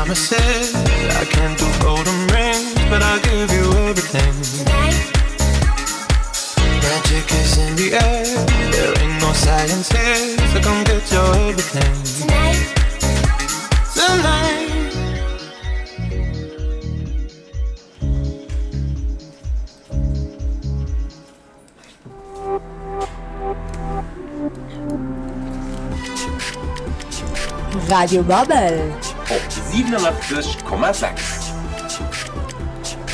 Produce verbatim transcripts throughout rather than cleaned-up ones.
promises, I can't do golden rings, but I'll give you everything. Magic is in the air, there ain't no science here, so come get your everything. Tonight. Radio Babbel. Op siwenannachtzeg Komma sechs.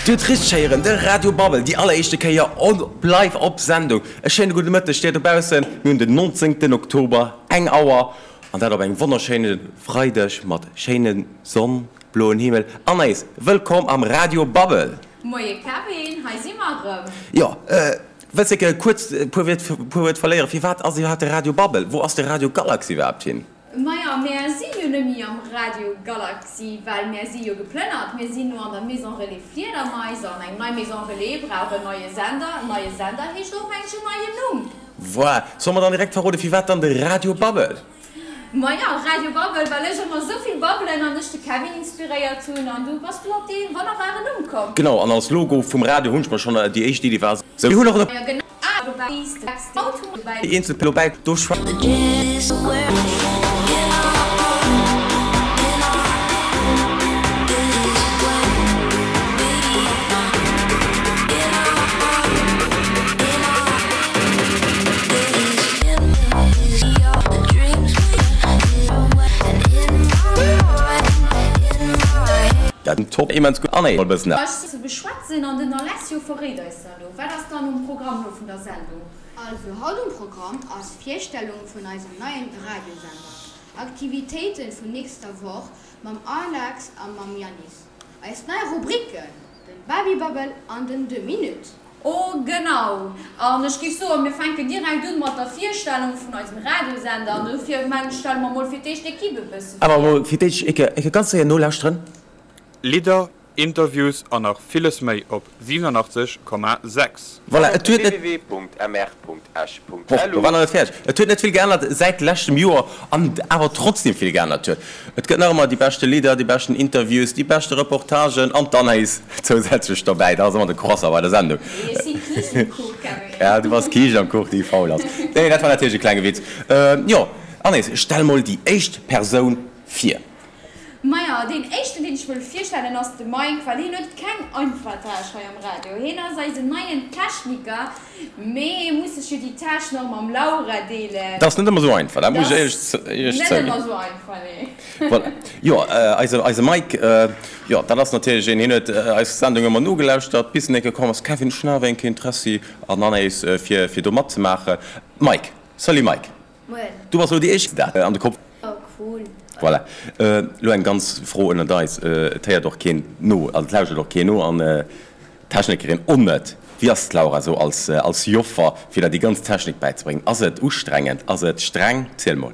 Dir hutt richteg héieren, de Radio Babbel, déi alleréischte Kéier on live op Sendung. E schéine gudde Mëtteg dir dobaussen. Mir hunn den nonzéngten Oktober, eng Auer, an dat op engem wonnerschéine Freideg mat schéine Sonn, bloen Himmel. Anaïs, wëllkomm am Radio Babbel. Moie Kevin, hei si mer erëm. Jo, wëlls de kuerz e puer Wiert, puer Wuert verléieren? Firwat ass iwwerhaapt de Radio Babbel? Wou ass de Radio Galaxy iwwerhaapt hin? Maja, mär si jo nemmi am Radio Galaxy, well mär si jo geplënnert. Mir sinn no an der Maison Relais Fliedermais an eng nei Maison Relais brauch en neie Sender. En neie Sender heescht och mengen ech en neien Numm. Voilà. Solle mer dann direkt verroden, firwat dann de Radio Babbel? Maja, Radio Babbel, well ech ëmmer esou vill babbelen an ech de Kevin inspiréiert hunn an du bass du op dee wonnerbaren Numm komm. Genau, an als Logo vum Radio hunn ech mer schonn déi éischt Iddi war esou. Mir hunn och e. Déi eenzel dobäi do Dat top immens gutt an e bëssen. Ze beschwätzen an den Alessio verréit eis da lo, wat ass dann um Programm lo vun der Sendung? Also haut um Programm ass Virstellung vun eisem neien Radiosender, Aktivitéiten vun nächster Woch mam Alex a mam Yannis, eis nei Rubriken, den Babybabbel an den Deux Minutes. Oh genau, an ech géif soen, mir fänken direkt un mat der Virstellung vun eisem Radiosender an dofir mengen ech, stelle mer mol fir d'éischt d'Equipe e bësse vir. Awer mol fir d'éischt eke eke ganz séier nolauschteren. Lidder, Interviews an nach villes méi op siewenundachtzeg Komma sechs. Voilà, et huet net. www.mr.esch.lu. Do war nach net fäerdeg. Et huet net vill geännert säit leschtem Joer an awer trotzdem vill geännert huet. Et gëtt nach ëmmer déi beschte Lidder, déi beschten Interviews, déi beschte Reportagen an d'Anaïs zousätzlech dobäi. Dat ass ëmmer de Croissant bei der Sendung. Nee, ech sinn d'Kiischt um Kuch, Kevin. Ja, du bass d'Kiischt am Kuch, déi faul ass. Nee, dat war natierlech e klenge Witz. Jo, Anaïs, stell mol déi éischt Persoun vir. Maja, deen éischten, deen ech wëll virstellen, ass de Mike, well hien huet keng einfach Tâche hei am Radio. Hien ass eisen neien Techniker, mee hie muss sech jo déi Tâche nach mam Laura deelen. Dat ass net ëmmer esou einfach, dat muss ech Dat éierlech ass net zouginn. ëmmer esou einfach, nee. Voilà. Jo, eise, eise Mike, jo, dat ass natierlech een, hien huet eis Sendung ëmmer nogelauschtert, bis en eng Kéier komm ass, Kevin, ech hunn awer eng Kéier Interessi an Anaïs, fir, fir do matzemaachen. Mike, salut Mike. Moien. Du bass elo déi éischt, dat an de Kopf. Oh cool. Voilà. Elo eng ganz Fro ënnert eis, et héiert och keen no, also et lauschtert och keen no an d'Technikerin och net. Wéi ass d'Laura esou als, als Joffer, fir der déi ganz Technik bäizebréngen? Ass et ustrengend? Ass et streng? Ziel mol.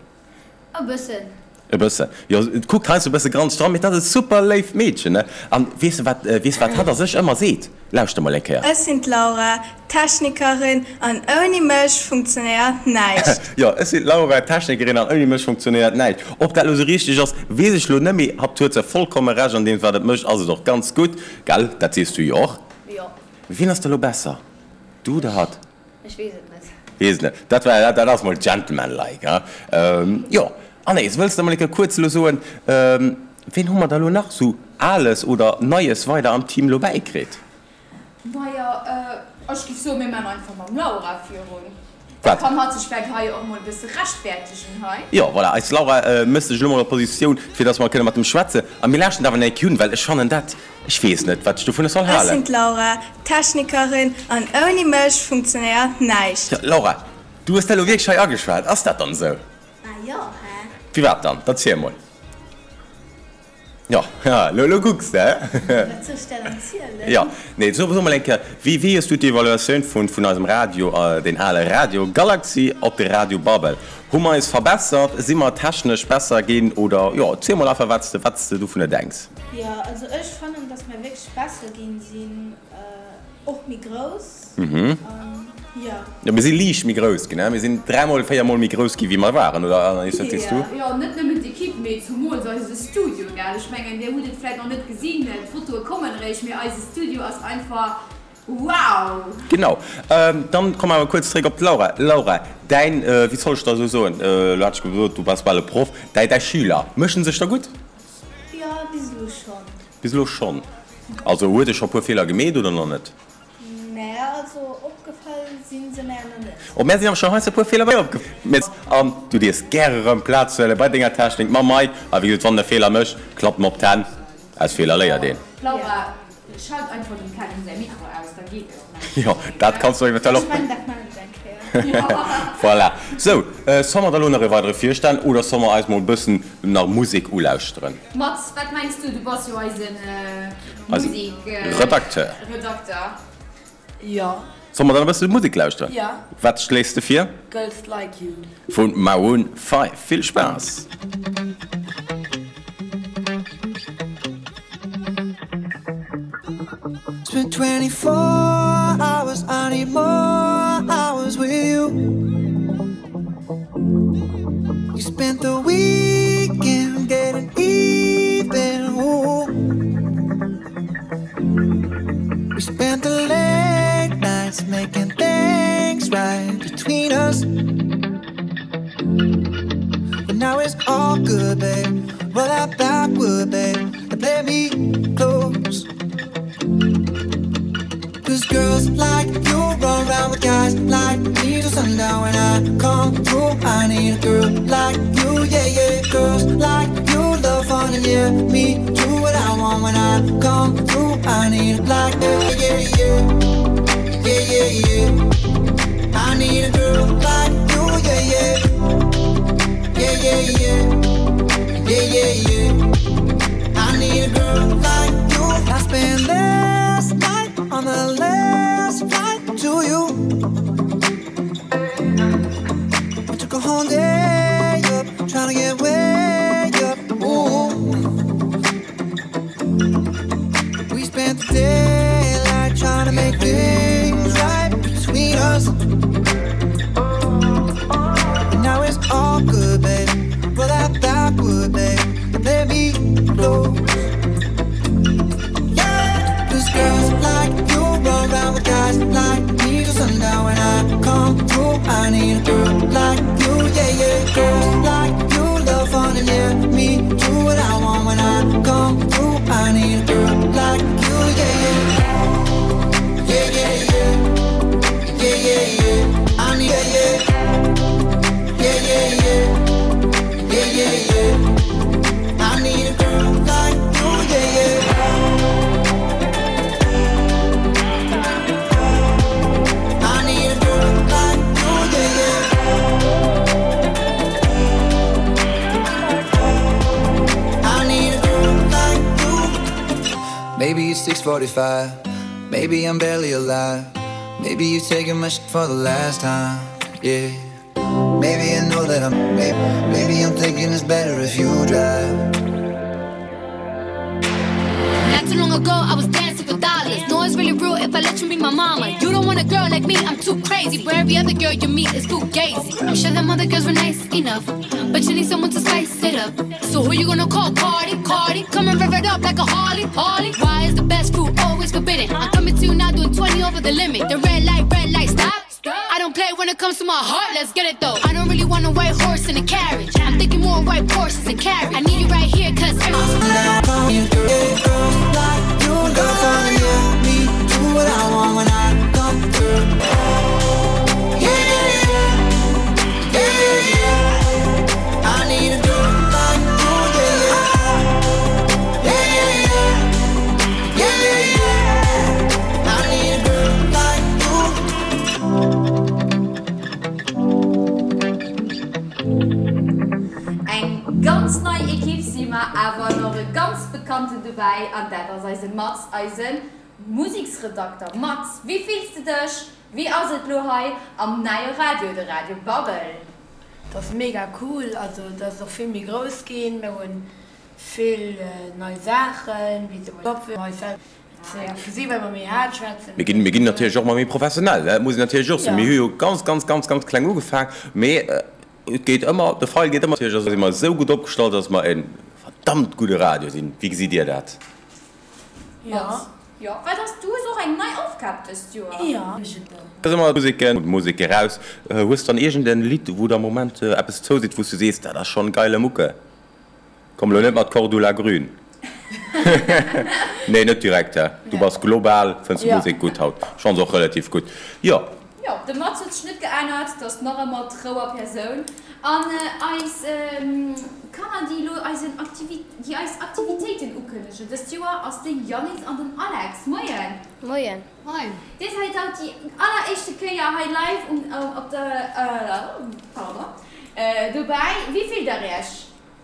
E bëssen. E bëssen. Jo, et kuckt heiansdo e bësse granzeg dran, mee dat ass e super léift Meedchen, ne? An weess de wat, weess wat hatt a sech ëmmer seet? Lauschter mol eng Kéier. Ech sinn d'Laura, Technikerin, an ouni mech funktionéiert näischt. Jo, ech sinn d'Laura, Technikerin, an ouni mech funktionéiert näischt. Ob dat elo sou richteg ass, weess ech elo net, mee hatt huet se vollkomme Recht an deem wat et mécht, ass et och ganz gutt, gell? Dat sees du jo och. Jo. Wien ass da elo besser, du oder hatt? Ech weess et net. Weess et net. Dat war, dat ass mol gentlemanlike, hein? Jo, Anaïs, wëlls de mol eng Kéier kuerz elo soen, ween hu mer da elo nach sou Ales oder Neies weider am Team elo bäikritt? Majo, ech giff soen, mir man einfach mam Laura virun. Da Wat? kann hatt sech vläit hei och mol e bësse rechtfertegen hei. Jo, voilà, eis Laura mécht sech elo mol a Positioun, fir dass mer kënne mat em schwätzen. A mir lauschten awer nach eng Kéier un, well ech fannen dat, ech weess net, wat ech dovunner soll Ech sinn halen. d'Laura, Technikerin, an ouni mech funktionéiert näischt. Jo, Laura, du hues dat elo wierklech hei ageschwat. Ass dat dann esou? Ah jo, hä? Firwat dann? Erziel mol. Jo, lo, lo kucks de, hä? Wat soll ech der dann zielen? Jo, nee, so, so mol eng Kéier, wéi, wéi hues du d'Evaluatioun vun, vun eisem Radio, deen ale Radio Galaxy op de Radio Babbel? Hu mer eis verbessert? Si mer technesch besser ginn? Oder, jo, ziel mol einfach, wat s de, wat s de dovunner denks. Jo, also ech fannen, dass mer wierklech besser ginn sinn. Och méi grouss. Mhm. An jo. Jo, mir si liicht méi grouss ginn, mir sinn dräimol, véiermol méi grouss gi wéi mer waren, oder Anaïs, wat sees du? Jo, net nëmmen d'Equipe, mee zumools eise Studio, gell? Ech mengen, dir hutt et vläit nach net gesinn, d'Fotoe kommen eréischt, mee eise Studio ass einfach wow! Genau. Dann komme mer awer kuerz zréck op d'Laura. Laura, däin, wéi soll ech da esou soen, elo hat ech gesot, du bass bal e Proff, däi, däi Schüler, mécht en sech da gutt? Jo, bis elo schonn. Bis elo schonn. Also huet e scho puer Feeler gemeet oder nach net? Mä also opgefall si se mär nach net. Oh, mär sinn awer scho heiansdo e puer Feeler bei opgefall. An du dierfs gäre erëm Plaz huele bei denger Technik mam Mike. A wéi gesot, wann en e Feeler mécht, klappt em op d'Hänn. Aus Feeler léiert een. Laura, schalt einfach dem Kevin säi Mikro aus, da geet et, mengen ech. Jo, dat kanns du eventuell och. Ech mengen, dat maachen ech eng Kéier. Voilà. Sou, solle mer da lo nach e weidere virstellen oder solle mer eis mol e bëssen nach Musek ulauschteren? Mats, wat mengs du? Du bass jo eisen Eise Musek-Redakteur. Redakteur. Jo. Solle mer dann e bësse Musek lauschteren? Jo. Wat schléis de vir? Girls Like You. Vu Maroon Five. Vill Spaass! It's been twenty four hours, I need more hours with you. You spent the weekend getting even. Ooh. We spent the late nights making things right between us. But now it's all good, babe. Roll that backward, babe, and play me close. Cause girls like you run round with guys like me till sundown. When I come through, I need a girl like you, yeah, yeah. Girls like you love fun and yeah, me do what I want when I come through. I need a like, yeah, yeah, yeah, yeah, yeah, yeah. I need a girl like you, yeah, yeah, yeah, yeah, yeah, yeah, yeah, yeah. I need a girl like you. I spent last night on the last flight to you. I took a whole day up, trying to get way up. Ooh. We spent the daylight trying to make things right between us. And now it's all good, babe. Roll that backward, babe, and play me close. Yeah, 'cause girls like you run round with guys like me till sundown. When I come through, I need a girl like you, yeah, yeah. Girls like you love fun and yeah, me do what I want when I come through. I need a girl like you, yeah, yeah. Yeah, yeah, yeah. Yeah, yeah, yeah. I need, yeah, yeah. Yeah, yeah, yeah. Yeah, yeah, yeah. I need a girl like you, yeah, yeah. I need a girl like you, yeah, yeah. I need a girl like you. Maybe it's six forty-five. Maybe I'm barely alive. Maybe you're taking my shit for the last time. Yeah. Maybe I know that I'm. Maybe, maybe I'm thinking it's better if you drive. Not too long ago, I was dancing for dollars. No, it's really real if I let you be my mama. You don't want a girl like me, I'm too crazy. But every other girl you meet is fugazi. I'm sure them other girls were nice enough, but you need someone to spice it up. So who you gonna call? Cardi, Cardi. Come and rev it up like a Harley, Harley. Why is the best fruit always forbidden? I'm coming to you now doing twenty over the limit. The red light, red light, stop. I don't play when it comes to my heart, let's get it though. I don't really want a white horse in a carriage. I'm thinking more white horses and carriage. I need you right here, cause I need a girl like you. Love fun and yeah, me do what I want when I come through. Yeah, yeah, yeah. Yeah, yeah, yeah. I need a girl like you, yeah, yeah. Yeah, yeah, yeah. Yeah, yeah, yeah. I need a girl like you. Eng ganz nei Ekipp si mer, awer nach e ganz Bekannten dobäi, an dat ass eise Mats, eise Museksredakter. Mats, wéi fills de dech? Wéi ass et lo hei am neie Radio, de Radio Babbel? Et ass mega cool, also et ass och vill méi grouss ginn, mir hunn vill nei Saachen, wéi zum Beispill Gesi well mer méi haart schwätzen. Mir ginn, mir ginn natierlech och ëmmer méi professionell, dat muss een natierlech och soen. Ja. Mir hu jo ganz, ganz, ganz, ganz kleng ugefaang, mee et geet ëmmer, de Feil geet ëmmer. Natierlech si mer esou gutt opgestallt, dass mer e verdammt gudde Radio sinn. Wéi gesitt Dir dat? Jo. Jo, well dass du hues och eng nei Aufgab dëst Joer. Jo. Da si mer Museken, Musek eraus. Hues dann iergend en Lidd, wou der am Moment eppes zouseet, wou s du sees, dat ass schonn geile Mucke? Komm elo net mat Cordula Grün. Nee, net direkt, hä? Du bass global, fënns d'Musek gutt haut. Ech fann se och relativ gutt, jo. Jo, de Mats huet sech net geännert, 't ass nach ëmmer d'Rouer Persoun. An eis Kanner, déi elo eisen Aktivi, déi eis Aktivitéiten ukënnegen dëst Joer, ass de Yannis an den Alex. Moien! Moien! Moien! Dir sait haut déi alleréischte Kéier hei live um, op der, pardon, dobäi. Wéi fillt der iech?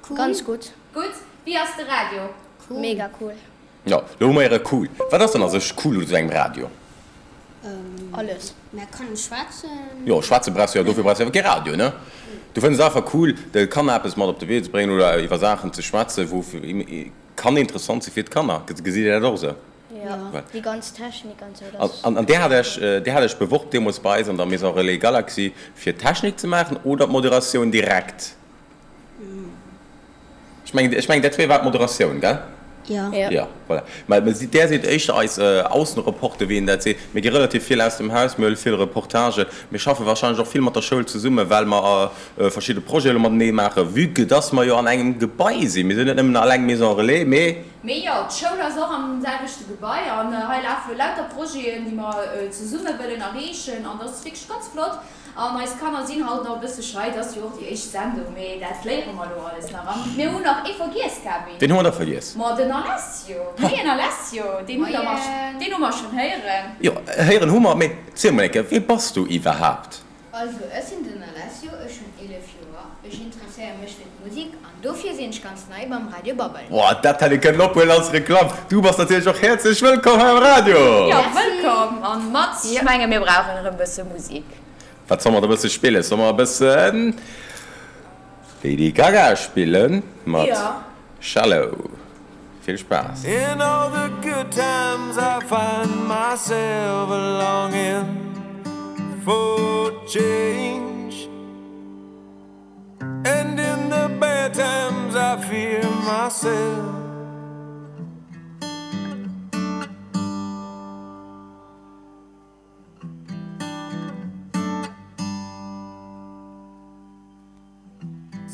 Cool. Ganz gutt. Gutt. Wéi ass de Radio? Cool. Mega cool. Jo, lo hu mer iere cool. Wat ass dann a sech cool u sou engem Radio? Alles. Mer kënnen schwätzen. Jo, schwätze brauchs du jo, dofir brauchs du awer kee Radio, ne? Du fënns et einfach cool, de Kanner eppes mat op de Wee ze bréngen oder iwwer Saachen ze schwätzen, wou kann interessant si fir d'Kanner. Gesitt Dir dat och esou? Jo, déi ganz Technik an esou, dat. An Dir hat Iech, Dir hat Iech beworb deemools bei eis an der Maison Relais Galaxy, fir d'Technik ze maachen oder d'Moderatioun direkt? Ech mengen, ech mengen, dat zwee war d'Moderatioun, gell? Jo. Jo, voilà. Mä mä där sidd éischter eis Aussenreporter, wéi een dat seet. Mir gi relativ vill aus dem Haus, mir huele vill Reportagen. Mir schaffe wahrscheinlech och vill mat der Schoul zesummen, well mer verschidde Projete elo matenee maachen, vue que dass mer jo an engem Gebai sinn. Mir sinn net nëmmen alleng Maison Relais, mee. Mee jo, d'Schoul ass och am selwechte Gebai an hei lafe lauter Projeten, déi mer zesumme wëllen erreechen an dat ass wierklech ganz flott. An eis Kanner sinn haut nach e bësse schei, et ass jo och déi éischt Sendung, mee dat léiere mer elo alles nach. An mir hunn nach ee vergiess, Gaby. Ween hu mer da vergiess? Ma den Alessio. Moien Alessio, deen hutt der mer, deen hu mer schonn héieren. Jo, héieren hu mer, mee ziel mol eng Kéier, wee bass du iwwerhaapt? Also, ech sinn den Alessio, ech hunn eelef Joer, ech interesséiere mech fir d'Musek an dofir sinn ech ganz nei beim Radio Babbel. Boah, dat hätt ee kënnen ophuelen als Reklamm! Du bass natierlech och häerzlech wëllkomm hei am Radio! Jo, wëllkomm! An Mats, ech menge mir brauchen erëm e bësse Musek. Wat soll mer da bësse spillen? Soll mer e bëssen Lady Gaga spillen mat Shallow? Vill Spaass! In all the good times I find myself longing for change And in the bad times I fear myself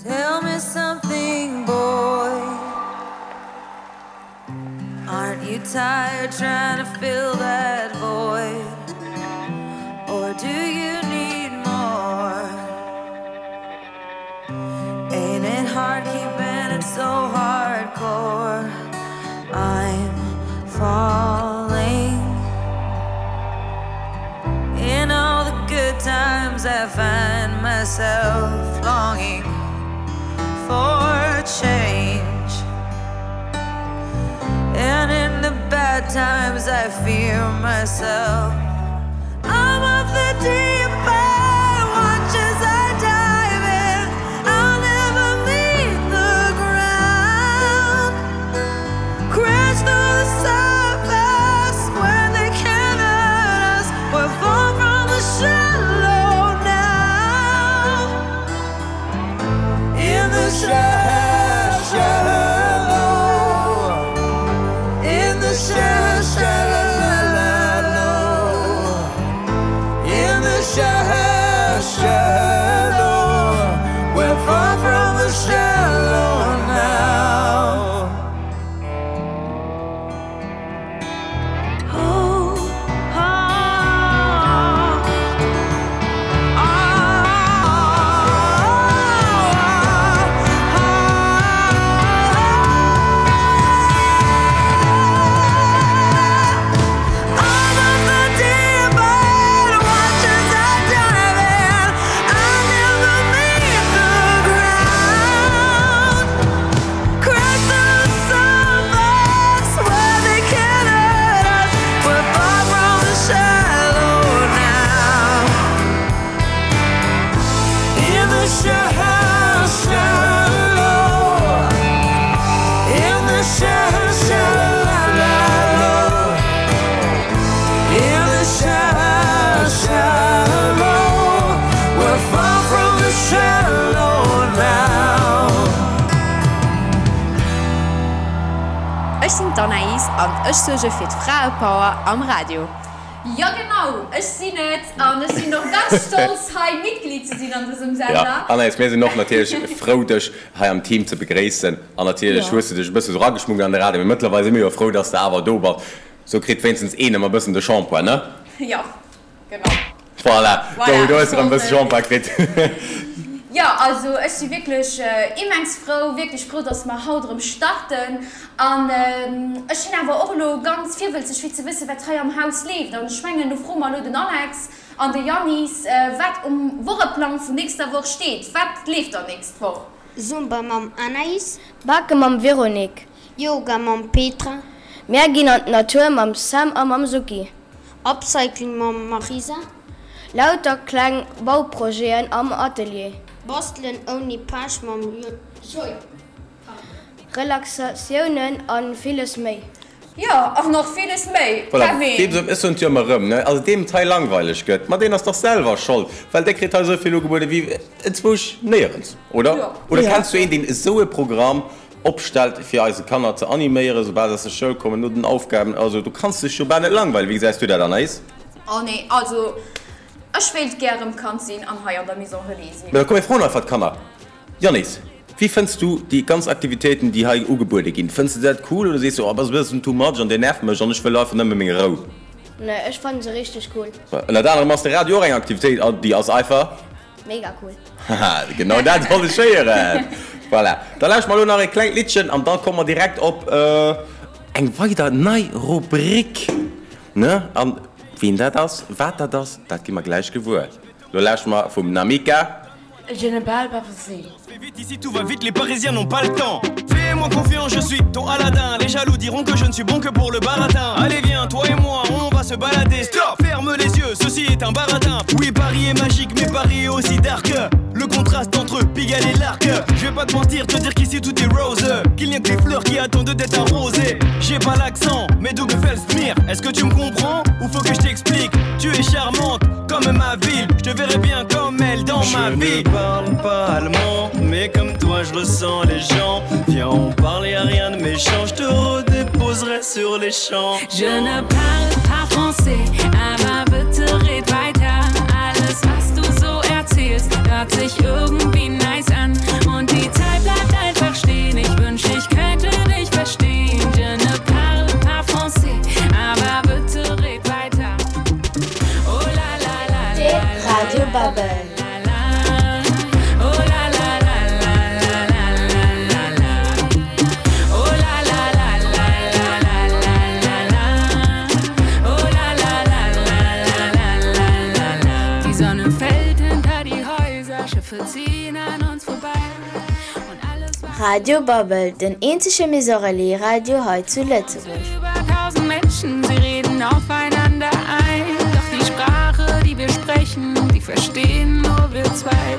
Tell me something boy Aren't you tired trying to fill that void Or do you need more Ain't it hard keeping it so hardcore I'm falling In all the good times I find myself longing for change And in the bad times I fear myself I'm off the deep end watch as I dive in I'll never meet the ground Crash through the surface where they can't hurt us We're far from the shallow now In the shallow In the shallow In the sinn d'Anaïs an ech suerge fir d'Fraepower am Radio. Jo genau, ech sinn et an ech sinn och ganz stolz hei Mitglied ze sinn an dësem Ja, Sender. Anaïs, mir sinn och natierlech frou dech hei am Team ze begréissen an natierlech Jo. hues de dech e bësse sou rageschmuggelt an de Radio, mee mëttlerweil si mir jo frou, dass de awer do bass. Sou kritt wéinstens een ëmmer e bëssen de Shampoing, ne? Jo, genau. Voilà, do Voilà, do hues de ech erëm e bësse wollt. Shampoing kritt. Jo, also ech si wierklech immens frou, wierklech frou, dass mer haut erëm starten. An ech sinn awer och elo ganz virwëlzeg fir ze wëssen, wat hei am Haus leeft. An ech mengen, do froe mer elo den Alex an de Yannis, wat um Wocheplang vun nächster Woch steet. Wat leeft dann nächst Woch? Zumba mam Anaïs. Bake mam Véronique. Yoga mam Petra. Mär ginn an d'Natur mam Sam a mam Suki. Upcycling mam Marisa. Lauter kleng Bauprojeten am Atelier. Bastelen ouni Pech mam Joy. Relaxatiounen a villes méi. Jo, an nach villes méi, Voilà, Kevin. deem sou, ech soen et jo ëmmer erëm, ne, also deem et hei langweileg gëtt, ma deen ass dach selwer schold, well dee kritt hei esou vill ugebuede wéi enzwousch néierens, oder? Jo. Oder Jo. kenns du een, deen esou e Programm opstellt, fir eise Kanner ze animéieren, soubal se aus der Schoul kommen, no den Aufgaben? Also du kanns dech jo bal net langweilen. Wéi gesäis du dat, Anaïs? Oh nee, also ech wéilt gär erëm Kand sinn an hei an der Maison Relais sinn. Mä da komm mir froen einfach d'Kanner. Yannis, wéi fënns du déi ganz Aktivitéiten, déi hei ugebuede ginn? Fënns de dat cool oder sees du, oh, dat ass e bëssen too much an dee nervt mech an ech wëll einfach nëmme meng Rou? Nee, ech fannen se richteg cool. Ënnert anerem ass de Radio och eng Aktivitéit an déi ass einfach. Mega cool. Haha, genau dat wollt ech héieren. Voilà, da lauschteren mer elo nach e klengt Liddchen an da komme mer direkt op eng weider nei Rubrik, ne? An wien dat ass, wat dat ass, dat gi mer gläich gewuer. Lo lauschteren mer vum Namika. Je ne parle pas français. Vite ici tout va vite, les Parisiens n'ont pas le temps. Fais-moi confiance, je suis ton Aladdin. Les jaloux diront que je ne suis bon que pour le baratin. Allez viens, toi et moi, on va se balader. Stop, ferme les yeux, ceci est un baratin. Oui, Paris est magique, mais Paris est aussi dark. Le contraste entre Pigalle et l'Arc. Je vais pas te mentir, te dire qu'ici tout est rose. Qu'il n'y a que des fleurs qui attendent d'être arrosées. J'ai pas l'accent, mais du gefällst mir. Est-ce que tu me comprends ou faut que je t'explique? Tu es charmante comme ma ville. Je te verrai bien comme elle dans ma Je vie. ne parle pas allemand, mais comme toi je ressens les gens. Viens, on parle, y a rien de méchant, je te redéposerai sur les champs. Je ne parle pas français, aber bitte red weiter. Alles, was du so erzählst, hört sich irgendwie nice an. Und die Zeit bleibt einfach stehen. Ich wünsch, ich könnte dich verstehen. Je ne parle pas français, aber bitte red weiter. Oh la la la De Radio Babbel. Oh la la la la la la la la la. Oh la la la la la la la la la. Oh la la la la la la la la la. Die Sonne fällt hinter die Häuser, Schiffe ziehen an uns vorbei. Radio Babbel, den eenzege Maison Relais Radio hei zu Lëtzebuerg. Über tausend Menschen, sie reden aufeinander ein. Doch die Sprache, die wir sprechen, die verstehen nur wir zwei.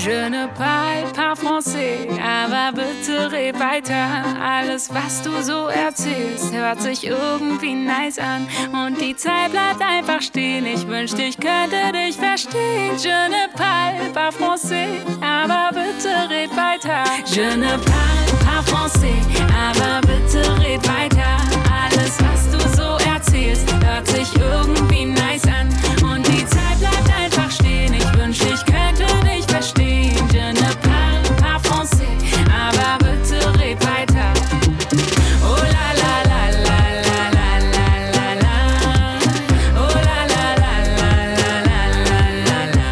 Je ne parle pas français, aber bitte red weiter. Alles, was du so erzählst, hört sich irgendwie nice an. Und die Zeit bleibt einfach stehen. Ich wünschte, ich könnte dich verstehen. Je ne parle pas français, aber bitte red weiter. Je ne parle pas français, aber bitte red weiter. Alles, was du so erzählst, hört sich irgendwie nice an. Und die Zeit bleibt einfach stehen. Ich wünschte, ich könnte dich verstehen. Je ne parle pas français, aber bitte red weiter. Oh la la la la la la la la la. Oh la la la la la la la la la.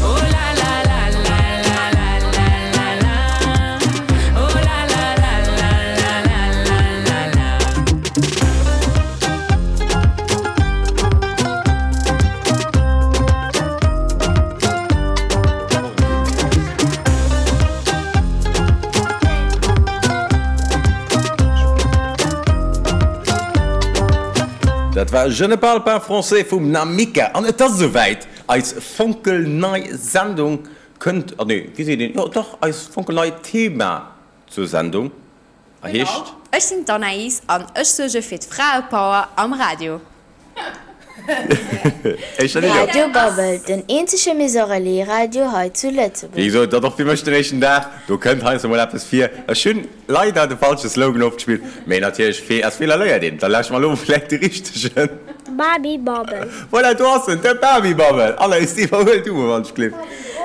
Oh la la la la la la la la la. Oh la la la la la la la la la. Dat war Je ne parle pas français vum Namika. An et ass esouwäit, eis fonkelnei Sendung kënnt, ah nee, wéi seet een, jo dach, eis fonkelnei Thema zur Sendung heescht. Ech sinn d'Anaïs an ech suerge fir d'Fraepower am Radio. Éischter net, jo. Radio Babbel, den eenzege Maison Relais Radio hei zu Wéi Lëtzebuerg. gesot, dat och fir mech den éischten Dag. Do kënnt heiansdo mol eppes vir. Ech hunn leider de falsche Slogan ofgespillt, mee natierlech, Fe aus Feeler léiert een. Da lauschtert mer elo vläicht de richtegen. Baby Babbel. Voilà, do ass en, de Baby Babbel. Anaïs, iwwerhuel du mol wann ech gleef.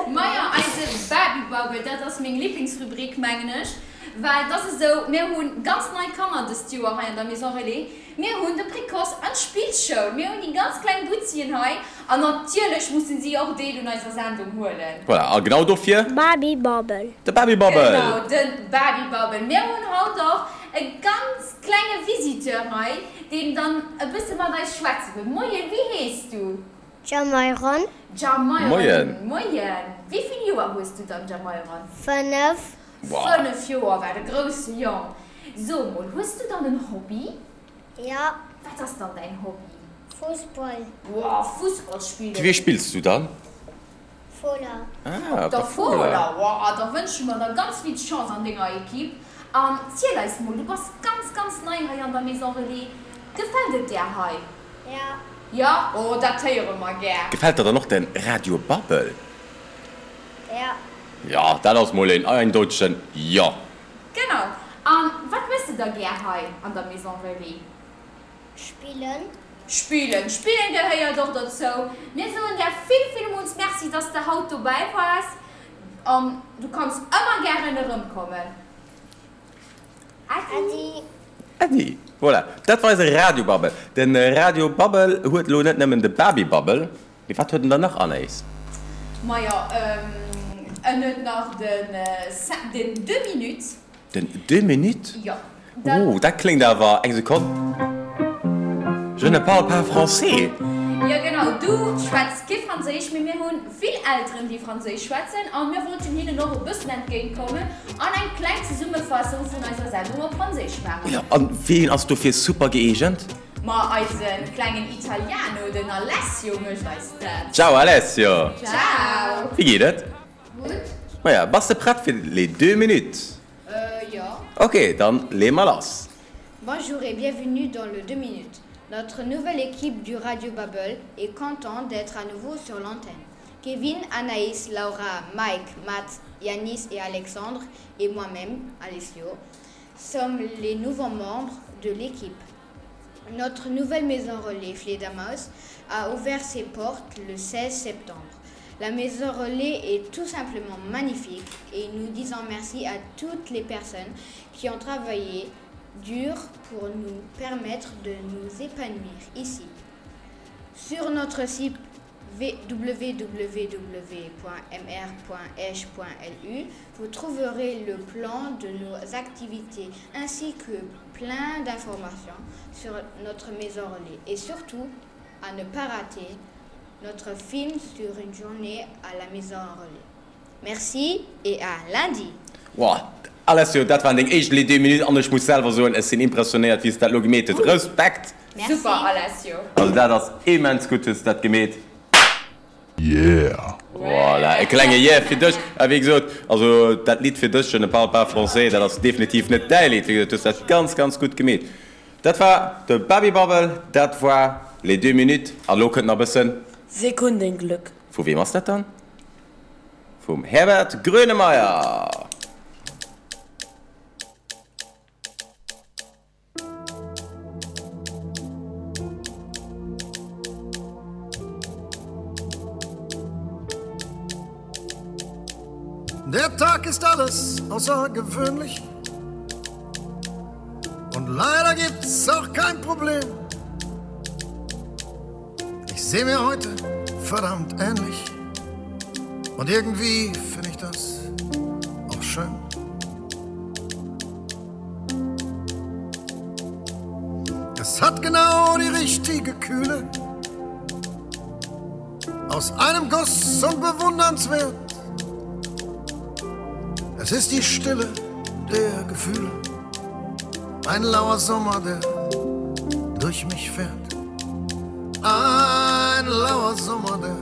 Majo, eise Baby Babbel, dat ass meng Liblingsrubrik, mengen ech. Well et ass esou, mir hu ganz nei Kanner dëst Joer hei an der Maison Relais. Mir hunn de Précoce an d'Spillschoul, mir hunn déi ganz kleng Butzien hei an natierlech mussen si och Deel un eiser Sendung huelen. Voilà, a genau dofir. Baby Babbel. De Baby Babbel. Genau, de Baby Babbel. Mir hunn haut och e ganz klenge Visiteur hei, deen dann e bësse mat eis schwätze wëll. Moien, wéi hees du? Jamyron. Jamyron. Moien. Moien. Wéi vill Joer hues du dann, Jamyron? Fënnef. Fënnef Joer, wat e grousse Jong. So mol, hues du dann en Hobby? Ja. Wat ass dann däin Hobby? Fussball. Wow, Fussball spillen. Fir wie spills du dann? Fola. Ah, op der Fola. Wow, da wënsche mer der ganz vill Chance an denger Ekipp. An ziel eis mol, du bass ganz, ganz nei hei an der Maison Relais. Gefält et där hei? Ja. Ja? Oh, dat héiere mer gär. Gefält der dann och den Radio Babbel? Ja. Jo, dat ass mol een eindeutegen Jo. Genau. An wat méchs de da gär hei an der Maison Relais? Spillen. Spillen. Spillen gehéiert och dozou. Mir soen där vill, villmools Merci, dass de haut dobäi waars. An du kanns ëmmer gären erëmkommen. Äddi. Äddi. Voilà, dat war eise Radio Babbel. De Radio Babbel huet elo net nëmmen de Baby Babbel, mee wat huet en dann nach, Anaïs? Majo, en huet nach den den Deux Minutes. Den Deux Minutes? Jo. Oh, dat kléngt awer, eng Sekonn, je ne parle pas français. Jo genau, du schwätz kee Franséisch, mee mir hunn vill Elteren déi Franséisch schwätzen a mir wollten hinnen och e bëssen entgéint kommen an eng kleng Zesummefassung vun eiser Sendung op Franséisch maachen. Jo, an ween ass dofir super gëeegent? Ma eise klengen Italiano, den Alessio mécht eis dat. Ciao Alessio! Ciao! Wéi geet et? Gutt. Maja, bass de prett fir les deux minutes? Euh, jo. Ok, dann leeë mer lass. Bonjour et bienvenue dans le deux minutes. Notre nouvelle équipe du Radio Babbel est content d'être à nouveau sur l'antenne. Kevin, Anaïs, Laura, Mike, Matt, Yanis et Alexandre et moi-même, Alessio, sommes les nouveaux membres de l'équipe. Notre nouvelle maison relais Fledermaus a ouvert ses portes le seize septembre. La maison relais est tout simplement magnifique et nous disons merci à toutes les personnes qui ont travaillé dur pour nous permettre de nous épanouir ici. Sur notre site w w w point m r point esch point l u, vous trouverez le plan de nos activités ainsi que plein d'informations sur notre maison relais et surtout à ne pas rater notre film sur une journée à la maison relais. Merci et à lundi! Wow, Alessio, dat waren deng éischt les deux minutes an ech muss selwer soen, ech sinn impressionéiert wéi s de dat elo gemeet hues. Respekt! Merci. Super, Alessio! Also dat ass immens gutt hues de dat gemeet. Yeah! Voilà, e klenge Yeah fir dech. A wéi gesot, also dat Lidd fir dech, Je ne parle pas français, dat ass definitiv net däi Lidd. Wéi gesot, du hues dat ganz, ganz gutt gemeet. Dat war de Babybubble, dat war les deux minutes. An elo kënnt nach e bëssen. Sekundenglück. Vu weem ass dat dann? Vum Herbert Grönemeyer. Der Tag ist alles außergewöhnlich. Und leider gibt's auch kein Problem. Ich sehe mir heute verdammt ähnlich. Und irgendwie finde ich das auch schön. Es hat genau die richtige Kühle. Aus einem Guss und bewundernswert. Es ist die Stille der Gefühle. Ein lauer Sommer, der durch mich fährt. Ein lauer Sommer, der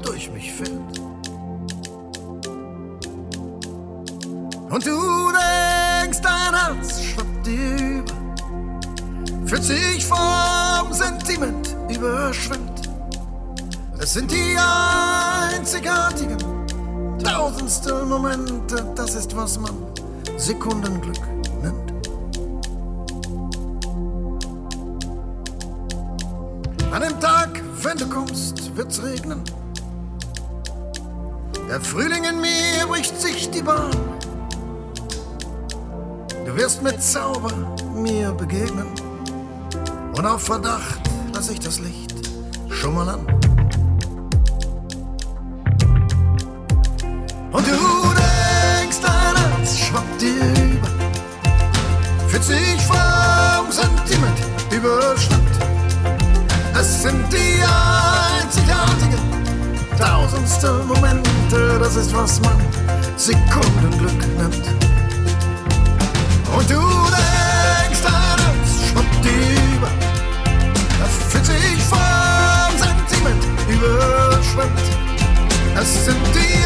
durch mich fährt. Und du denkst, dein Herz schwappt dir über, fühlt sich vom Sentiment überschwemmt. Es sind die einzigartigen tausendstel Momente, das ist, was man Sekundenglück nennt. An dem Tag, wenn du kommst, wird's regnen. Der Frühling in mir bricht sich die Bahn. Du wirst mit Zauber mir begegnen. Und auf Verdacht lass ich das Licht schon mal an. Und du denkst, dein Herz schwappt dir über, fühlt sich vom Sentiment überschwemmt. Es sind die einzigartigen tausendstel Momente, das ist, was man Sekundenglück nennt. Und du denkst, dein Herz schwappt dir über, fühlt sich vom Sentiment überschwemmt. Es sind die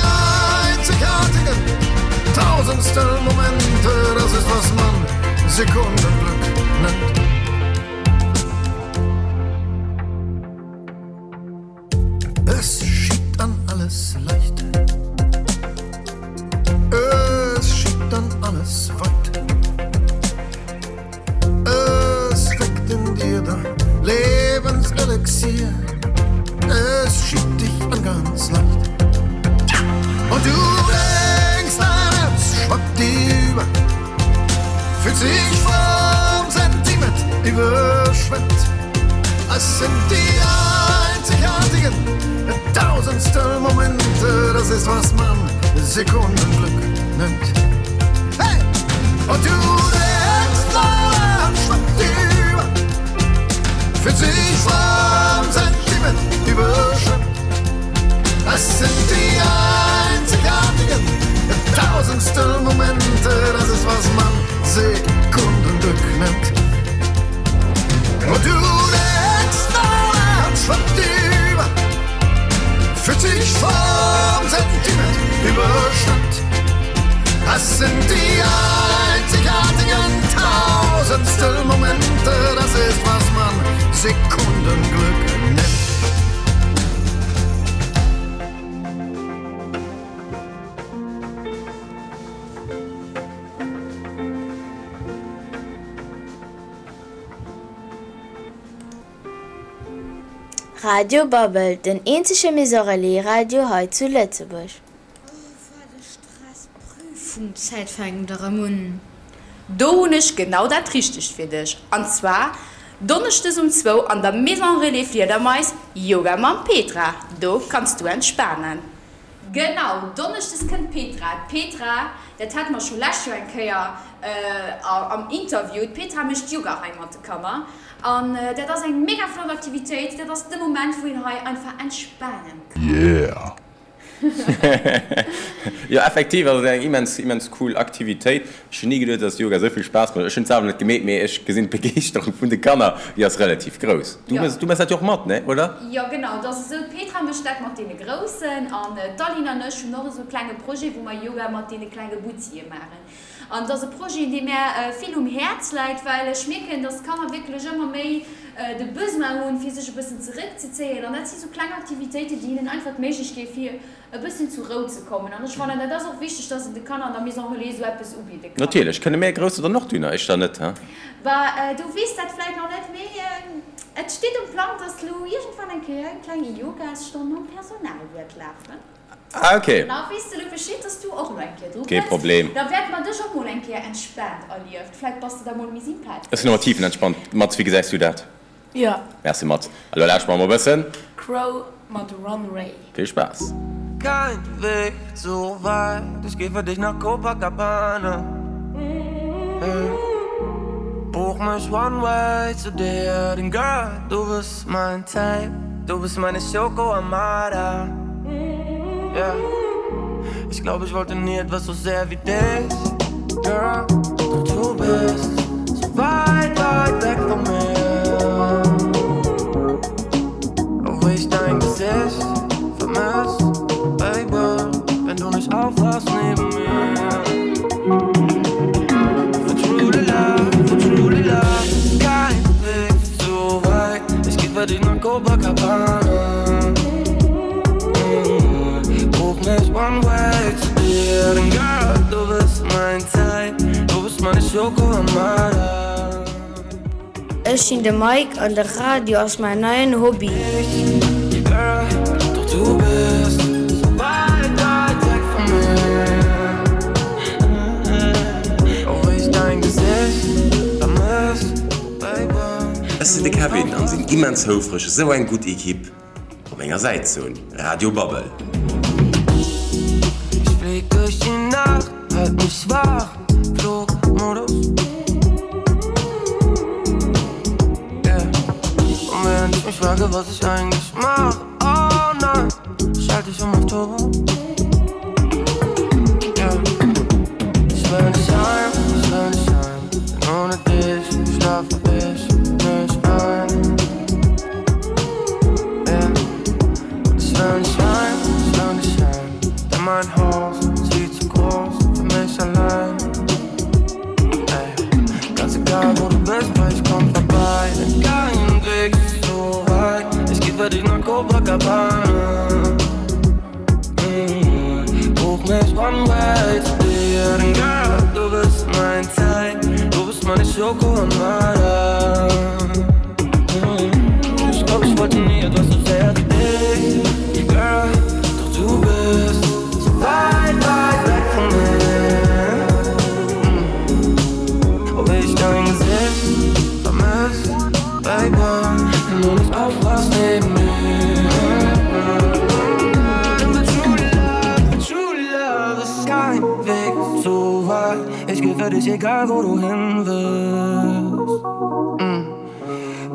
einzigartigen tausendstel Momente, das ist, was man Sekundenglück nennt. Es schiebt an alles leicht, es schiebt an alles weit, es weckt in dir dein Lebenselixier, es schiebt dich an ganz leicht. Und du denkst, dein Herz schwappt dir über, fühlt sich vom Sentiment überschwemmt. Es sind die einzigartigen tausendstel Momente, das ist, was man Sekundenglück nennt. Hey! Und du denkst, dein Herz schwappt dir über, fühlt sich vom Sentiment überschwemmt. Es sind die einzigartigen tausendstel Momente, das ist, was man Sekundenglück nennt. Und du denkst, dein Herz schwappt dir über, fühlt sich vom Sentiment überschwemmt. Es sind die einzigartigen tausendstel Momente, das ist, was man Sekundenglück nennt. Radio Babbel, den eenzege Maison Relais Radio hei zu Lëtzebuerg. Prüfungszäit fänkt erëm un. Do hunn ech genau dat Richtegt fir dech. An zwar donneschdes um zwou an der Maison Relais Fliedermais Yoga mam Petra. Do kanns du entspanen. Genau, donneschdes kënnt d'Petra. D'Petra, dat hate mer scho lescht Joer eng Kéier am Interview, d'Petra mécht Yoga hei mat de Kanner. An dat ass eng mega flott Aktivitéit, dat ass de Moment, wou een hei einfach entspanen kann. Yeah! Jo, effektiv ass et eng immens, immens cool Aktivitéit. Ech hunn ni geduet, dass Yoga esou vill Spaass mécht. Ech hunn et selwer net gemeet, mee ech gesinn d'Begeeschterung vun de Kanner, déi ass relativ grouss. Du Jo. méchs, du méchs dat jo och mat, ne, oder? Jo, genau. Et ass esou, d'Petra mécht dat mat deene Groussen an d'Aline an ech hunn och esou e klenge Projet, wou mer Yoga mat deene klenge Butzie maachen. An et ass e Projet, dee mär vill um Häerz läit, well ech mierken, dass d'Kanner wierklech ëmmer méi de Besoin hunn, fir sech e bëssen zeréckzezéien. An dat si sou kleng Aktivitéiten, déi hinnen einfach d'Méiglechkeet gi fir e bëssen zur Rou ze kommen. An ech fannen, dat ass och wichteg, dass een de Kanner an der Maison Relais esou eppes ubidde kann. Natierlech. Kënne mär Grousse dann och dun, éischter net, he? Bah, du weess dat vläicht nach net, mee et steet um Plang, dass lo iergendwann eng Kéier eng kleng Yogasstonn mam Personal wäert lafen. Ah, okay. Da weess de lo Bescheed, dass du och elo eng Kéier dru Kee kënns. Problem. Da wäerte mer dech och mol eng Kéier entspaant erlieft. Vläicht bass de da mol méi sympathesch. Ech sinn ëmmer tiefenentspannt. Mats, wéi gesäis du dat? Jo. Merci, Mats. A lo lauschteren mer mol e bëssen. Crow mat Runway. Vill Spaass. Kein Weg so weit, ich geh für dich nach Copacabana. Hey. Buch mich one way zu dir, denn Girl, du bist mein Type, du bist meine Schoko Armada. Yeah. Ich glaub, ich wollte nie etwas so sehr wie dich, Girl, doch du bist so weit, weit weg von mir. Obwohl ich dein Gesicht vermiss, Baby, wenn du nicht aufwachst neben mir. For truly love, for truly love, kein Weg so weit. Ich geh für dich nach Copacabana. Schoko Amara. Ech sinn de Mike an de Radio ass mäin neien Hobby. Girl, doch du bist so weit, weit weg von mir. Auch wenn ich dein Gesicht vermiss, Baby. Ech sinn de Kevin an sinn immens houfreg esou eng gutt Equipe op menger Säit ze hunn. Radio Babbel. Ich flieg durch die Nacht, halt mich wach, Flugmodus. Yeah. Und wenn ich mich frage, was ich eigentlich mach, oh nein, schalte ich um auf Turbo. Yeah. Ich will nicht heim, ich will nicht heim, denn ohne dich schlafe ich nicht ein. Yeah. Und ich will nicht heim, ich will nicht heim, denn mein Haus ist viel zu groß für mich allein. Ey, ganz egal wo du bist, weil ich komm vorbei, denn kein Weg ist so weit. Ich geh für dich nach Copacabana. Mm, Buch mich one way zu dir, denn Girl, du bist mein Teil, du bist meine Schoko Amara. Mm, Ich glaub, ich wollte nie etwas so sehr wie dich, Girl, doch du bist so weit, weit weg von mir. Mm. Ob ich dein Gesicht vermiss, Baby, wenn du nicht aufwachst neben mir. But true love, true love ist kein Weg zu weit. Ich geh für dich, egal wo du hin willst. Mm.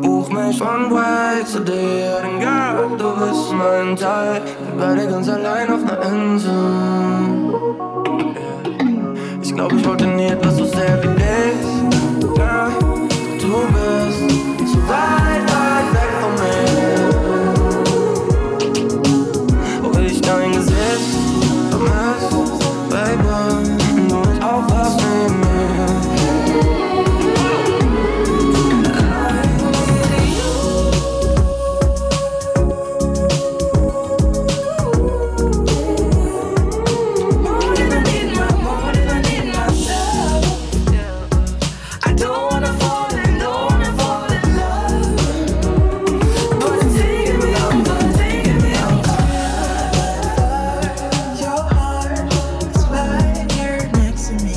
Buch mich one way zu dir, denn Girl, du bist mein Teil. Wir beide ganz allein auf ner Insel. Yeah. Ich glaub, ich wollte nie etwas so sehr wie dich. Girl, doch du bist so weit, weit weg von mir. Ob ich dein Gesicht vermiss, Baby, wenn du nicht aufwachst neben mir. More than I need my, more than I need myself. I don't wanna fall in, don't wanna fall in love, but it's taking me over, taking me over. Your heart is right here next to me.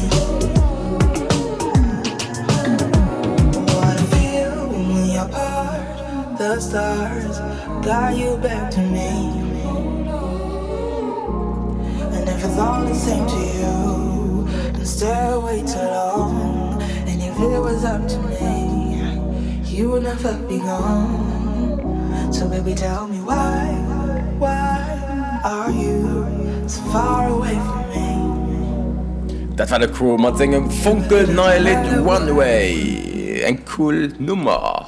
What I feel when we are apart, the stars guide you back to me. And if it's all the same to you, then stay away too long. And if it was up to me, you would never be gone. So baby, tell me why, why are you so far away from me? Dat war de Cro mat sengem fonkelneie Lidd One Way. Eng cool Nummer.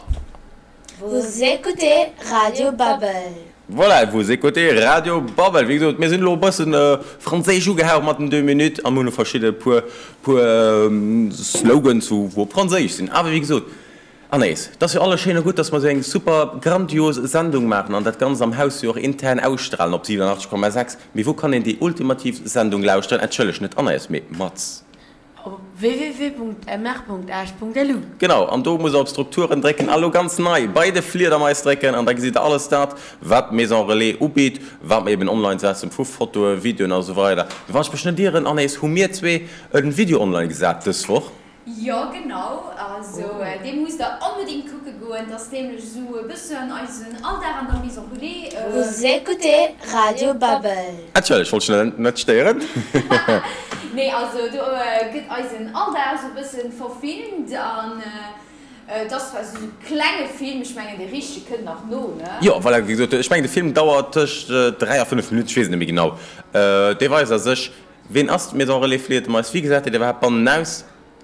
Vous écoutez Radio Babbel. Voilà, vous écoutez Radio Babbel. Wéi gesot, mir sinn elo e bëssen franséisch ugehaucht mat den deux minutes an hunn elo verschidde puer, puer Slogans, wou, wou op Franséisch sinn. Awer wéi gesot, Anaïs, et ass jo alles schéin a gutt, dass mer esou eng super grandios Sendung maachen an dat Ganzt am Haus jo och intern ausstrahlen op siewenundachtzeg Komma sechs. Mee wou kann een déi ultimativ Sendung lauschteren? Entschëlleg, net Anaïs, mee Mats. Op www.mr.esch.lu. Genau, an do musst der op Strukturen drécken a lo ganz nei bei de Fliedermais drécken an da gesitt der alles dat, wat d'Maison Relais ubitt, wat mer eben online setzen vu Fotoen, Videoen a sou weider. Mee wann ech mech net ieren, Anaïs, hu mir zwee e Video online gesat dës Woch. Jo genau, also dee musst der onbedingt kucke goen, et ass nämlech esou e bëssen eisen Alldag an der Maison Relais. Vous écoutez Radio Babbel. Entschëllegt, wollt ech net stéieren. Nee, also do gëtt eisen Alldag esou e bëssen verfilmt an et ass zwar esou e klenge Film, ech mengen dee richtege kënnt nach no, ne? Jo, voilà, wéi gesot, ech mengen de Film dauert tëscht dräi a fënnef Minutten, ech weess et net méi genau. Dee weist a sech, ween ass d'Maison Relais Fliedermais, wéi gesäit et iwwerhaapt bannen aus?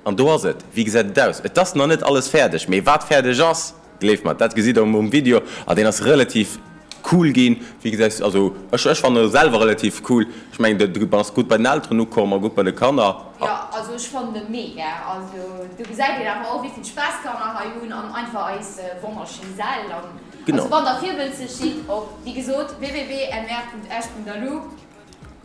An do ass et. Wéi gesäit et aus? Et ass nach net alles fäerdeg, mee wat fäerdeg ass, gleeft mer, dat gesitt der um Video. An deen ass relativ cool ginn. Wéi gesäis, also ech, ech fannen e selwer relativ cool. Ech mengen, de ass gutt bei den Elteren ukomm a gutt bei de Kanner. Jo, also ech fannen e mega. Also do gesäit een awer och, wéi vill Spaass d'Kanner hei hunn an einfach eis wonnerschéin Säll. An Genau. also wann der virwëlzeg sidd, op, wéi gesot, www.mr.esch.lu.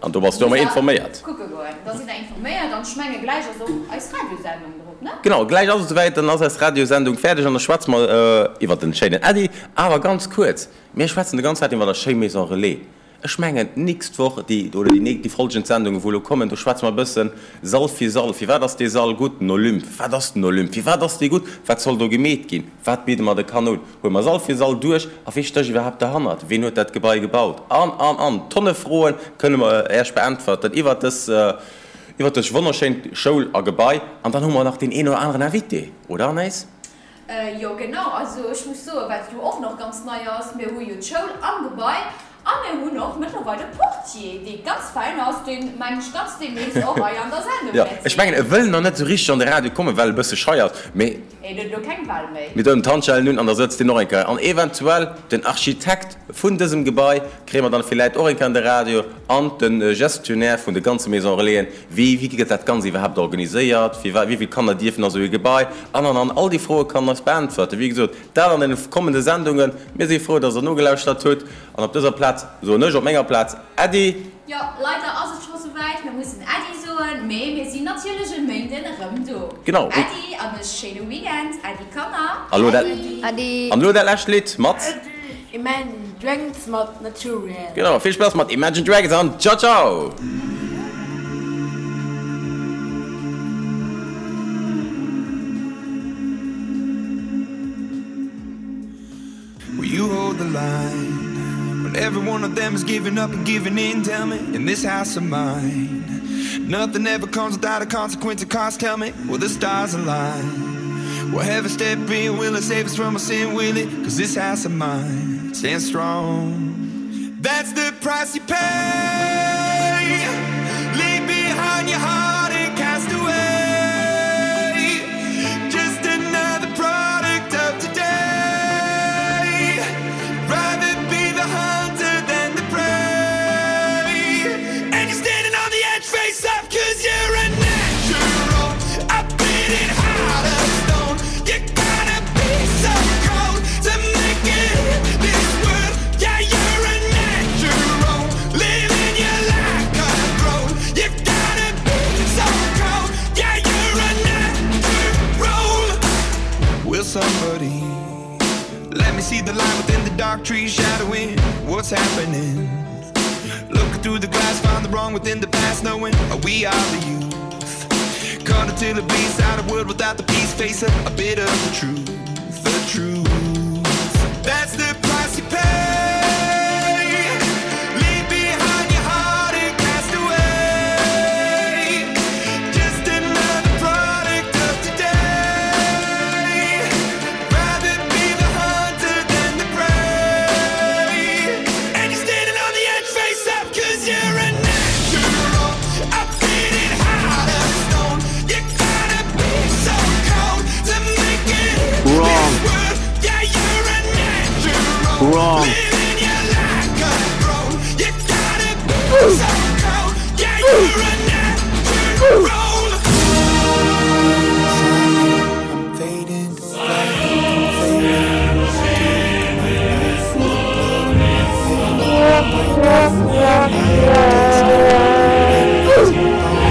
An do bass du ëmmer informéiert. Kucke goen, da sidd der informéiert an ech menge gläich ass och eis Radiosendung drop, ne? Genau, gläich ass et esouwäit, dann ass eis Radiosendung fäerdeg an da schwätze mer iwwert den schéinen Äddi. Awer ganz kuerz, mir schwätzen de ganz Zäit iwwer der schéi Maison Relais. Ech mengen d'nächst Woch, déi oder déi déi folgend Sendungen wou elo kommen, do schwätze mer e bëssen Sall fir Sall. Firwat ass dee Sall gutt? Den Olymp, wat ass den Olymp? Firwat ass dee gutt? Wat soll do gemeet ginn? Wat bidde mer de Kanner un? Huele mer Sall fir Sall duerch a wie stécht iwwerhaapt derhannert? Ween huet dat Gebai gebaut? An, an, an. Tonne Froen kënne mer Äech beäntwerten iwwert dës, iwwert dës wonnerschéint Schoul a Gebai. An dann hu mer nach deen een oder aneren Invité, oder Anaïs? Jo, genau. Also ech muss soen, wat jo och nach ganz nei ass, mir hu jo d'Schoul am Gebai a mir hunn och mëttlerweil e Portier, dee ganz fäin ass, deen, mengen ech, ganz deemnächst och hei an der Sendung Jo, wäert ech sinn. mengen, e wëll nach net esou richteg an de Radio kommen, well e bësse schei ass, mee. En huet elo keng Wahl méi. Mir doen d'Handschellen un an da sëtzt deen och eng Kéier. An eventuell den Architekt vun dësem Gebai kréie mer dann villäit och eng Kéier an de Radio an de Gestionnaire vun de ganze Maison Relaisen. Wéi, wéi gëtt dat Ganzt iwwerhaapt organiséiert? Wéi, wéi vill Kanner dierfen a sou ee Gebai? An, an, an. All déi Froe kann eis beäntwerten. Wéi gesot, dat an den kommende Sendungen. Mir si frou, dass Der nogelauschtert hutt. An op dëser Plaz soen ech op menger Plaz Äddi. Jo, leider ass et scho souwäit, mir mussen Äddi soen, mee mir sinn natierlech e Méinden erëm do. Genau. Äddi an e schéine Weekend. Äddi Kanner. An elo dat, Äddi. an elo dat lescht Lidd mat. Imagine Dragons mat Natural. Genau, vill Spaass mat Imagine Dragons an ciao ciao! Will you hold the line when every one of them is giving up and giving in? Tell me, in this house of mine, nothing ever comes without a consequence of cost. Tell me, will the stars align? Will heaven step in? Will it save us from our sin? Will it? Cause this house of mine stands strong. That's the price you pay. Leave behind your heart and cast away. Just another product of today. Rather be the hunter than the prey. And you're standing on the edge, face up, cause you're a natural. A beating heart of stone. You gotta be so cold to make it in this world. Yeah, you're a natural. Living your life cutthroat. You gotta be so cold. Yeah, you're a natural. Will somebody let me see the light within the dark trees shadowing what's happening? Looking through the glass, find the wrong within the past, knowing we are the youth. Caught until it bleeds out a world without the peace, face a, a bit of the truth, the truth. That's the price you pay. Leave behind your heart and cast away. Just another product of today. Rather be the hunter than the prey. And you're standing on the edge, face up, cause you're a natural. A beating heart of stone. You gotta be so cold to make it in Wrong. this world. Yeah, you're a natural. Wrong. Living your life cutthroat. You gotta be so cold. Yeah, you're a natural. I'm fading to black, I'm fading. Take my life, the blood on my head. Break up my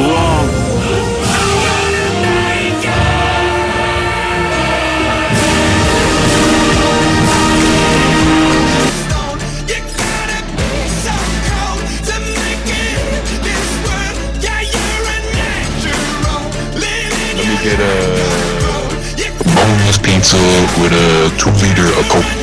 Wrong. Let me get a boneless pizza with a two liter of Coke.